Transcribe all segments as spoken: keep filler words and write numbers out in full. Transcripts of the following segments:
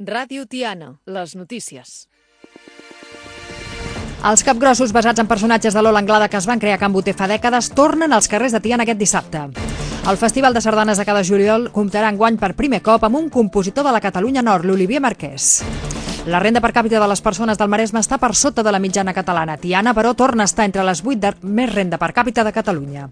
Ràdio Tiana, les notícies. Els capgrossos basats en personatges de Lola Anglada que es van crear a Can Boter fa dècades tornen als carrers de Tiana aquest dissabte. El Festival de Sardanes de cada juliol comptarà enguany per primer cop amb un compositor de la Catalunya Nord, l'Olivier Marquès. La renda per càpita de les persones del Maresme està per sota de la mitjana catalana. Tiana, però, torna a estar entre les vuit de més renda per càpita de Catalunya.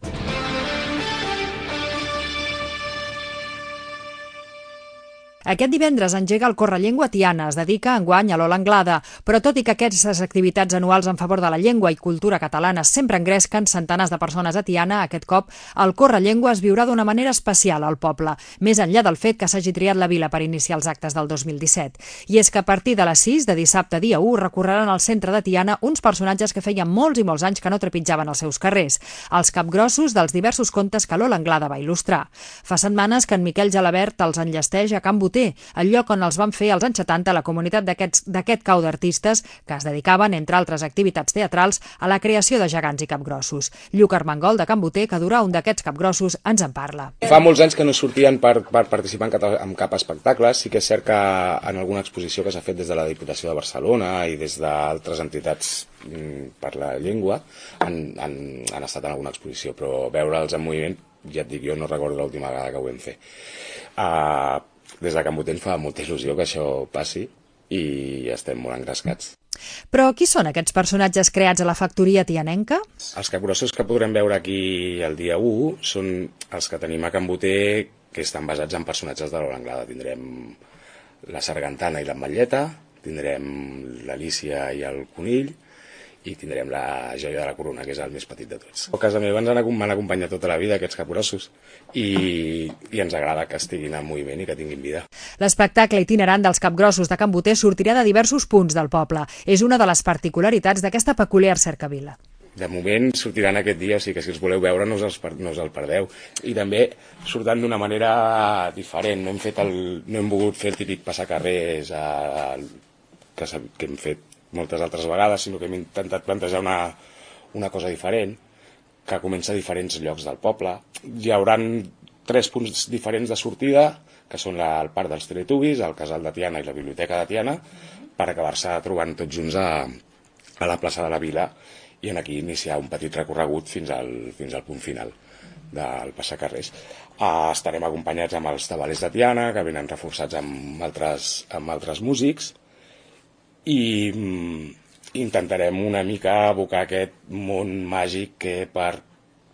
Aquest divendres engega el Correllengua a Tiana, es dedica enguany a Lola Anglada, però tot i que aquestes activitats anuals en favor de la llengua i cultura catalana sempre engresquen centenars de persones a Tiana, aquest cop el Correllengua es viurà d'una manera especial al poble, més enllà del fet que s'hagi triat la vila per iniciar els actes del dos mil disset. I és que a partir de les sis de dissabte dia u recorreran al centre de Tiana uns personatges que feien molts i molts anys que no trepitjaven els seus carrers, els capgrossos dels diversos contes que Lola Anglada va il·lustrar. Fa setmanes que en Miquel Gelabert els enllesteix a Can Boter, el lloc on els van fer als anys setanta la comunitat d'aquest cau d'artistes que es dedicaven, entre altres activitats teatrals, a la creació de gegants i capgrossos. Lluc Armengol, de Can Boter, que durà un d'aquests capgrossos, ens en parla. Fa molts anys que no sortien per, per participar en cap, en cap espectacle. Sí que és cert que en alguna exposició que s'ha fet des de la Diputació de Barcelona i des d'altres entitats per la llengua han, han, han estat en alguna exposició, però veure'ls en moviment, ja et dic, jo no recordo l'última vegada que ho vam fer. Uh, Des de Can Boter ens fa molta il·lusió que això passi i estem molt engrescats. Però qui són aquests personatges creats a la factoria tianenca? Els capgrossos que podrem veure aquí el dia u són els que tenim a Can Boter, que estan basats en personatges de Lola Anglada. Tindrem la sargantana i l'ametlleta, tindrem l'Alícia i el conill, i tindrem la joia de la corona, que és el més petit de tots. A casa meva ens m'han acompanyat tota la vida aquests capgrossos i, i ens agrada que estiguin en moviment i que tinguin vida. L'espectacle itinerant dels capgrossos de Can Boter sortirà de diversos punts del poble. És una de les particularitats d'aquesta peculiar cercavila. De moment sortiran aquest dia, o sigui que si els voleu veure no us, els, no us el perdeu. I també surten d'una manera diferent. No hem, fet el, no hem volgut fer el típic passacarrers a, que, que hem fet moltes altres vegades, sinó que hem intentat plantejar una, una cosa diferent, que comença a diferents llocs del poble. Hi haurà tres punts diferents de sortida, que són la, el Parc dels Teletubbies, el Casal de Tiana i la Biblioteca de Tiana, per acabar-se trobant tots junts a, a la plaça de la Vila i en aquí iniciar un petit recorregut fins al, fins al punt final del passacarrers. Uh, estarem acompanyats amb els tabalers de Tiana, que venen reforçats amb altres, amb altres músics, i intentarem una mica evocar aquest món màgic que per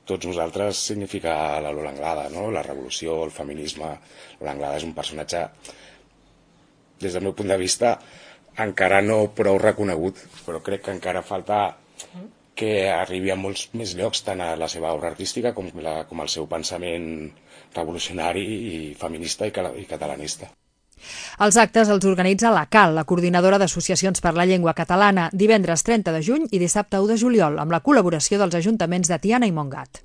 tots nosaltres significa la Lola Anglada, no? La revolució, el feminisme. Lola Anglada és un personatge, des del meu punt de vista, encara no prou reconegut, però crec que encara falta que arribi a molts més llocs, tant a la seva obra artística com, la, com el seu pensament revolucionari i feminista i, i catalanista. Els actes els organitza la CAL, la Coordinadora d'Associacions per la Llengua Catalana, divendres trenta de juny i dissabte u de juliol, amb la col·laboració dels ajuntaments de Tiana i Montgat.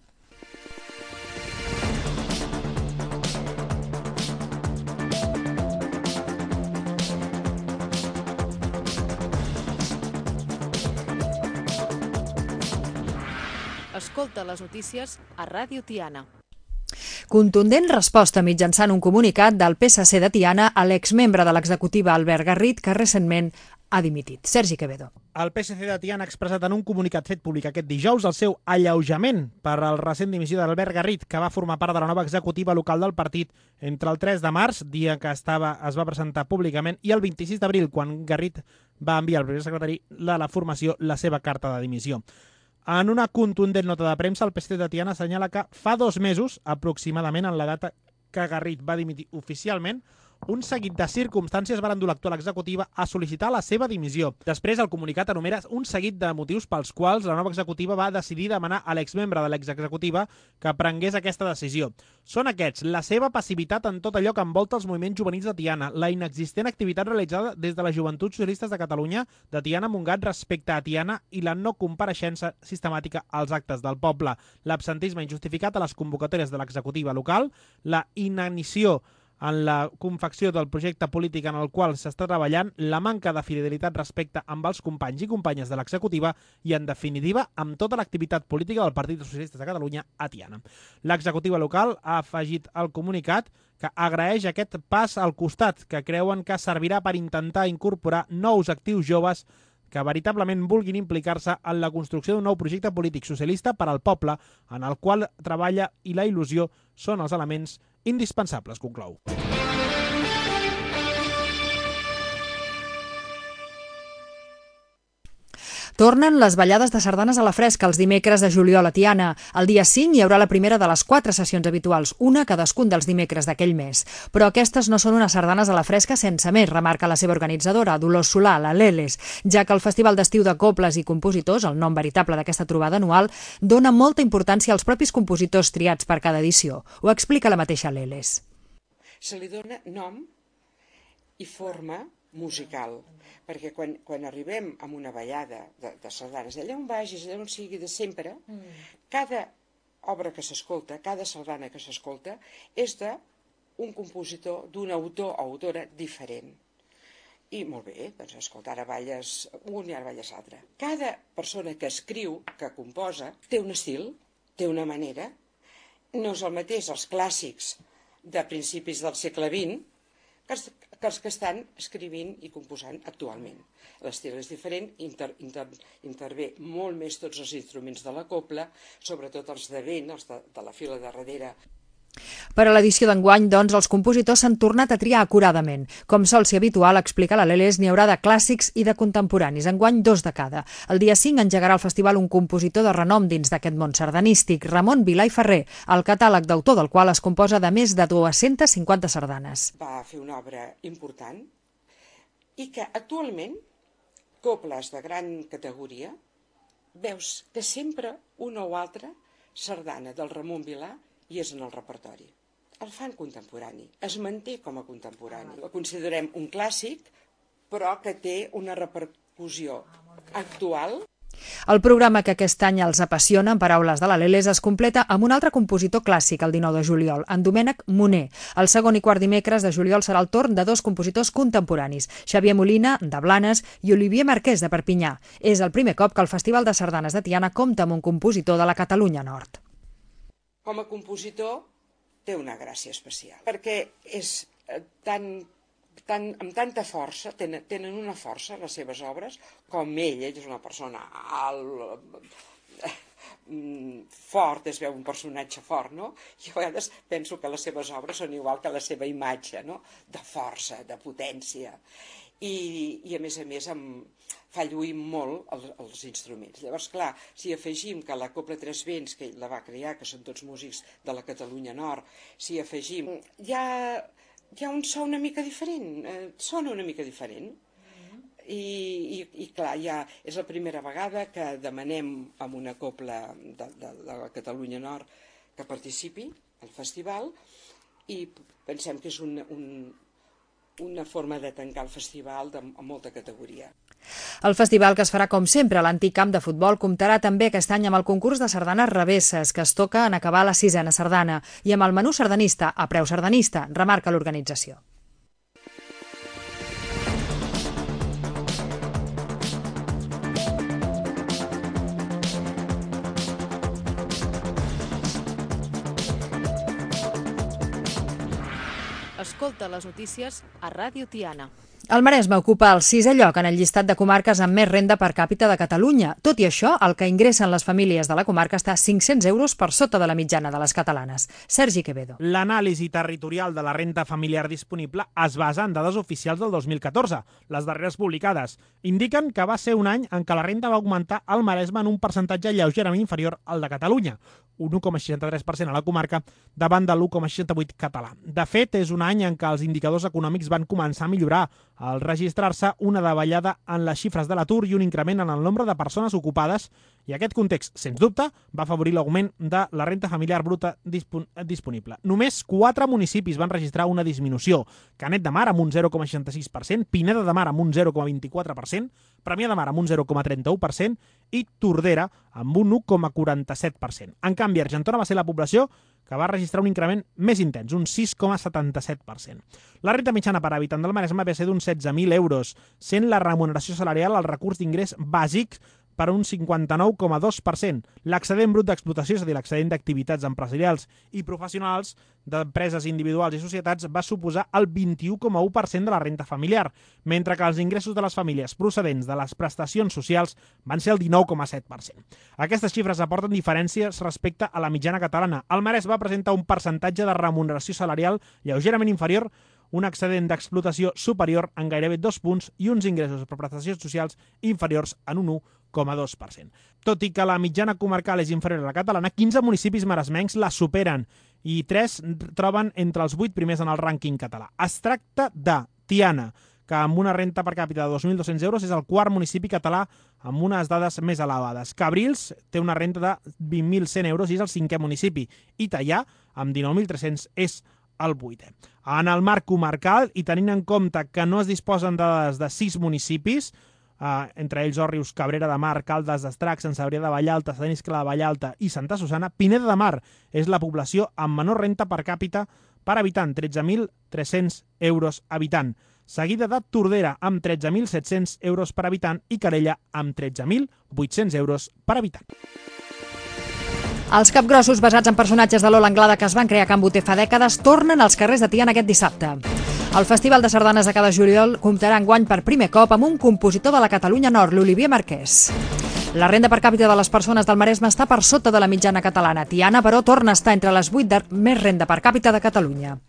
Escolta les notícies a Ràdio Tiana. Contundent resposta mitjançant un comunicat del P S C de Tiana a l'exmembre de l'executiva Albert Garrit, que recentment ha dimitit. Sergi Quevedo. El P S C de Tiana ha expressat en un comunicat fet públic aquest dijous el seu alleujament per al recent dimissió d'Albert Garrit, que va formar part de la nova executiva local del partit entre el tres de març, dia que estava, es va presentar públicament, i el vint-i-sis d'abril, quan Garrit va enviar al primer secretari de la formació la seva carta de dimissió. En una contundent nota de premsa, el P S C de Tiana assenyala que fa dos mesos, aproximadament en la data que Garrit va dimitir oficialment, un seguit de circumstàncies van dur l'actual executiva a sol·licitar la seva dimissió. Després, el comunicat enumera un seguit de motius pels quals la nova executiva va decidir demanar a l'exmembre de l'exexecutiva que prengués aquesta decisió. Són aquests: la seva passivitat en tot allò que envolta els moviments juvenils de Tiana, la inexistent activitat realitzada des de les Joventuts Socialistes de Catalunya de Tiana Montgat respecte a Tiana i la no compareixença sistemàtica als actes del poble, l'absentisme injustificat a les convocatòries de l'executiva local, la inanició en la confecció del projecte polític en el qual s'està treballant, la manca de fidelitat respecte amb els companys i companyes de l'executiva i, en definitiva, amb tota l'activitat política del Partit dels Socialistes de Catalunya a Tiana. L'executiva local ha afegit al comunicat que agraeix aquest pas al costat, que creuen que servirà per intentar incorporar nous actius joves que veritablement vulguin implicar-se en la construcció d'un nou projecte polític socialista per al poble, en el qual treballa i la il·lusió són els elements indispensables, conclou. Tornen les ballades de sardanes a la fresca els dimecres de juliol a Tiana. El dia cinc hi haurà la primera de les quatre sessions habituals, una cadascun dels dimecres d'aquell mes. Però aquestes no són unes sardanes a la fresca sense més, remarca la seva organitzadora, Dolors Solà, la Leles, ja que el Festival d'Estiu de Cobles i Compositors, el nom veritable d'aquesta trobada anual, dona molta importància als propis compositors triats per cada edició. Ho explica la mateixa Leles. Se li dona nom i forma musical, perquè quan, quan arribem a una ballada de, de sardanes, allà on vagis, allà on sigui de sempre, mm. cada obra que s'escolta, cada sardana que s'escolta, és d'un compositor, d'un autor o autora diferent. I molt bé, doncs escolta, ara balles un i ara balles l'altre. Cada persona que escriu, que composa, té un estil, té una manera. No és el mateix els clàssics de principis del segle vint que els que, els que estan escrivint i composant actualment. L'estil és diferent, inter, inter, intervé molt més tots els instruments de la cobla, sobretot els de vent, els de, de la fila de darrere. Per a l'edició d'enguany, doncs, els compositors s'han tornat a triar acuradament. Com sol ser habitual, explica la Leles, n'hi haurà de clàssics i de contemporanis, enguany dos de cada. El dia cinc engegarà el festival un compositor de renom dins d'aquest món sardanístic, Ramon Vilà i Ferrer, el catàleg d'autor del qual es composa de més de dues-centes cinquanta sardanes. Va fer una obra important i que actualment, cobles de gran categoria, veus que sempre una o altra sardana del Ramon Vilà i és en el repertori. El fan contemporani, es manté com a contemporani. El considerem un clàssic, però que té una repercussió actual. El programa que aquest any els apassiona, en paraules de la Leles, es completa amb un altre compositor clàssic el dinou de juliol, en Domènec Moner. El segon i quart dimecres de juliol serà el torn de dos compositors contemporanis, Xavier Molina, de Blanes, i Olivier Marquès, de Perpinyà. És el primer cop que el Festival de Sardanes de Tiana compta amb un compositor de la Catalunya Nord. Com a compositor té una gràcia especial, perquè és tan, tan, amb tanta força, tenen, tenen una força les seves obres, com ell, ell és una persona alt, fort, es veu un personatge fort, no? I a vegades penso que les seves obres són igual que la seva imatge, no? De força, de potència, i, i a més a més amb fa lluir molt els, els instruments. Llavors, clar, si afegim que la Cobla Tres Vents, que ell la va crear, que són tots músics de la Catalunya Nord, si afegim, ja hi ha un so una mica diferent, eh, sona una mica diferent. I, i, i clar, ja és la primera vegada que demanem a una cobla de, de, de la Catalunya Nord que participi al festival i pensem que és un, un, una forma de tancar el festival de, amb molta categoria. El festival, que es farà com sempre a l'antic camp de futbol, comptarà també aquest any amb el concurs de sardanes revesses, que es toca en acabar la sisena sardana, i amb el menú sardanista a preu sardanista, remarca l'organització. Escolta les notícies a Ràdio Tiana. El Maresme ocupa el sisè lloc en el llistat de comarques amb més renda per càpita de Catalunya. Tot i això, el que ingressen les famílies de la comarca està cinc-cents euros per sota de la mitjana de les catalanes. Sergi Quevedo. L'anàlisi territorial de la renda familiar disponible es basa en dades oficials del dos mil catorze. Les darreres publicades indiquen que va ser un any en què la renda va augmentar al Maresme en un percentatge lleugerament inferior al de Catalunya, un u coma seixanta-tres per cent a la comarca davant de l'u coma seixanta-vuit català. De fet, és un any en què els indicadors econòmics van començar a millorar, al registrar-se una davallada en les xifres de l'atur i un increment en el nombre de persones ocupades, i aquest context, sens dubte, va afavorir l'augment de la renda familiar bruta dispon disponible. Només quatre municipis van registrar una disminució: Canet de Mar amb un zero coma seixanta-sis per cent, Pineda de Mar amb un zero coma vint-i-quatre per cent, Premià de Mar amb un zero coma trenta-u per cent i Tordera amb un u coma quaranta-set per cent. En canvi, Argentona va ser la població que va registrar un increment més intens, un sis coma setanta-set per cent. La renda mitjana per habitant del Maresme va ser d'uns setze mil euros, sent la remuneració salarial el recurs d'ingrés bàsic per un cinquanta-nou coma dos per cent. L'excedent brut d'explotació, és a dir, l'excedent d'activitats empresarials i professionals d'empreses individuals i societats, va suposar el vint-i-u coma u per cent de la renda familiar, mentre que els ingressos de les famílies procedents de les prestacions socials van ser el dinou coma set per cent. Aquestes xifres aporten diferències respecte a la mitjana catalana. El Maresme va presentar un percentatge de remuneració salarial lleugerament inferior, un excedent d'explotació superior en gairebé dos punts i uns ingressos per prestacions socials inferiors en un u coma dos per cent. Tot i que la mitjana comarcal és inferior a la catalana, quinze municipis maresmencs la superen i tres troben entre els vuit primers en el rànquing català. Es tracta de Tiana, que amb una renta per càpita de dos mil dos-cents euros és el quart municipi català amb unes dades més elevades. Cabrils té una renta de vint mil cent euros i és el cinquè municipi. I Teià, amb dinou mil tres-cents, és el vuitè. En el marc comarcal, i tenint en compte que no es disposen de dades de sis municipis, Uh, entre ells Òrrius, Cabrera de Mar, Caldes d'Estrac, Sant Cebrià de Vallalta, Sant Iscle de Vallalta i Santa Susana, Pineda de Mar és la població amb menor renta per càpita per habitant, tretze mil tres-cents euros habitant, seguida de Tordera amb tretze mil set-cents euros per habitant i Calella amb tretze mil vuit-cents euros per habitant. Els capgrossos basats en personatges de Lola Anglada que es van crear a Can Boter fa dècades tornen als carrers de Tiana aquest dissabte. El Festival de Sardanes de cada juliol comptarà enguany per primer cop amb un compositor de la Catalunya Nord, l'Olivier Marquès. La renda per càpita de les persones del Maresme està per sota de la mitjana catalana. Tiana, però, torna a estar entre les vuit de més renda per càpita de Catalunya.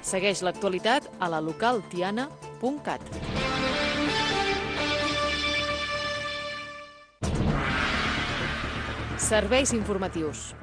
Segueix l'actualitat a la local tiana punt cat. Serveis informatius.